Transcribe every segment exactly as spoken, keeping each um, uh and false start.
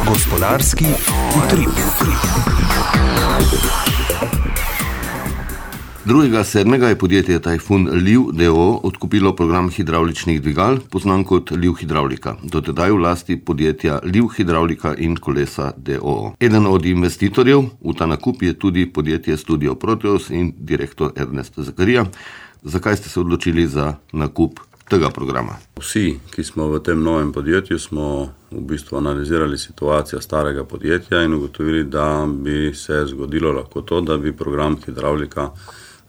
Gospodarski utrip. drugega sedmega je podjetje Tajfun Liv d. o. o. odkupilo program hidravličnih dvigal, poznan kot Liv Hidravlika, dotedaj v lasti podjetja Liv Hidravlika in kolesa d. o. o. Eden od investitorjev v ta nakup je tudi podjetje Studio Proteus in direktor Ernest Zakarija. Zakaj ste se odločili za nakup tega programa? Vsi, ki smo v tem novem podjetju, smo v bistvu analizirali situacijo starega podjetja in ugotovili, da bi se zgodilo lahko to, da bi program hidravlika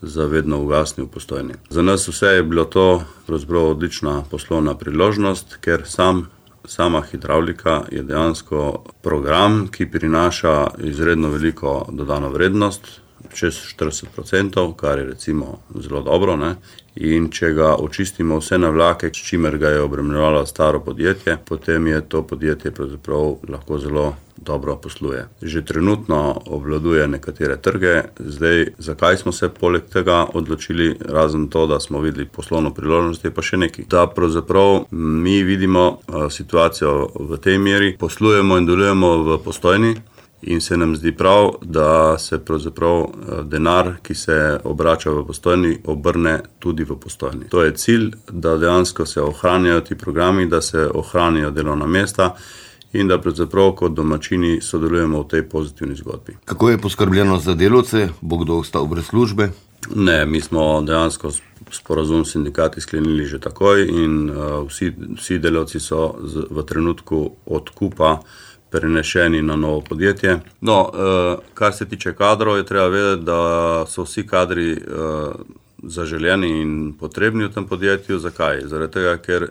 zavedno ugasnil v Postojni. Za nas vse je bilo to pravzaprav odlična poslovna priložnost, ker sam, sama hidravlika je dejansko program, ki prinaša izredno veliko dodano vrednost, čez štirideset procentov, kar je recimo zelo dobro, ne? In če ga očistimo vse navlake, s čimer ga je obremenjevalo staro podjetje, potem je to podjetje pravzaprav lahko zelo dobro posluje. Že trenutno obvladuje nekatere trge. Zdaj, zakaj smo se poleg tega odločili, razen to, da smo videli poslovno priložnost, je pa še nekaj. Da pravzaprav mi vidimo situacijo v tej meri, poslujemo in delujemo v Postojni, in se nam zdi prav, da se pravzaprav denar, ki se obrača v Postojni, obrne tudi v Postojni. To je cilj, da dejansko se ohranjajo ti programi, da se ohranijo delovna mesta in da pravzaprav kot domačini sodelujemo v tej pozitivni zgodbi. Kako je poskrbljeno za delavce? Bo kdo ostal brez službe? Ne, mi smo dejansko sporazum s sindikati sklenili že takoj in uh, vsi, vsi delavci so z, v trenutku odkupa prenešeni na novo podjetje. No, kar se tiče kadrov, je treba vedeti, da so vsi kadri zaželjeni in potrebni v tem podjetju. Zakaj? Zaradi tega, ker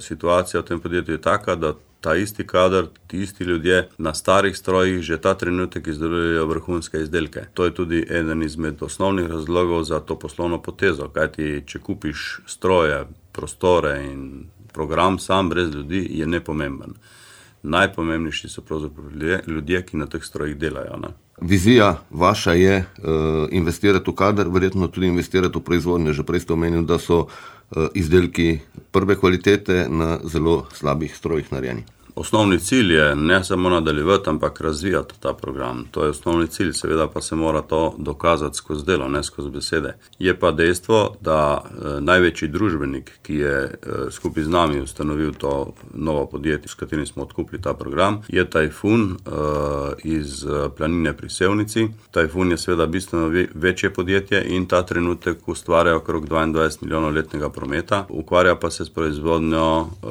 situacija v tem podjetju je taka, da ta isti kader, ti isti ljudje na starih strojih že ta trenutek izdelujejo vrhunske izdelke. To je tudi eden izmed osnovnih razlogov za to poslovno potezo, kajti če kupiš stroje, prostore in program sam brez ljudi, je nepomemben. Najpomembnejši so pravzaprav ljudje, ljudje, ki na teh strojih delajo. Ne? Vizija vaša je uh, investirati v kader, verjetno tudi investirati v proizvodnje. Že prej ste omenili, da so uh, izdelki prve kvalitete na zelo slabih strojih narejeni. Osnovni cilj je ne samo nadaljevati, ampak razvijati ta program. To je osnovni cilj, seveda pa se mora to dokazati skozi delo, ne skozi besede. Je pa dejstvo, da eh, največji družbenik, ki je eh, skupaj z nami ustanovil to novo podjetje, s katerim smo odkupili ta program, je Tajfun eh, iz Planine pri Sevnici. Tajfun je seveda bistveno večje podjetje in ta trenutek ustvarja okrog dvaindvajset milijonov letnega prometa, ukvarja pa se s proizvodnjo eh,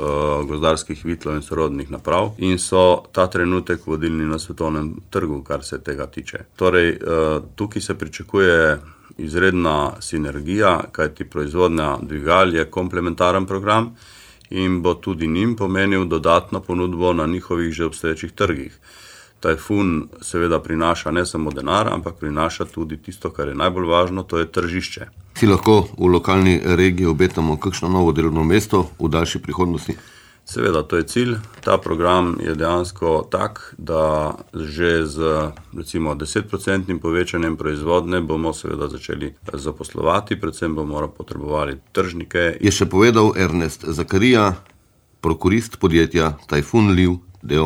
gozdarskih vitlov in sorodnih naprav in so ta trenutek vodilni na svetovnem trgu, kar se tega tiče. Torej, tukaj se pričakuje izredna sinergija, kajti proizvodnja dvigal je komplementaren program in bo tudi njim pomenil dodatno ponudbo na njihovih že obstoječih trgih. Tajfun seveda prinaša ne samo denar, ampak prinaša tudi tisto, kar je najbolj važno, to je tržišče. Si lahko v lokalni regiji obetamo kakšno novo delovno mesto v daljši prihodnosti? Seveda, to je cilj. Ta program je dejansko tak, da že z recimo desetprocentnim povečanjem proizvodne bomo seveda začeli zaposlovati, predvsem bomo potrebovali tržnike. Je še povedal Ernest Zakarija, prokurist podjetja Tajfun Liv d. o. o.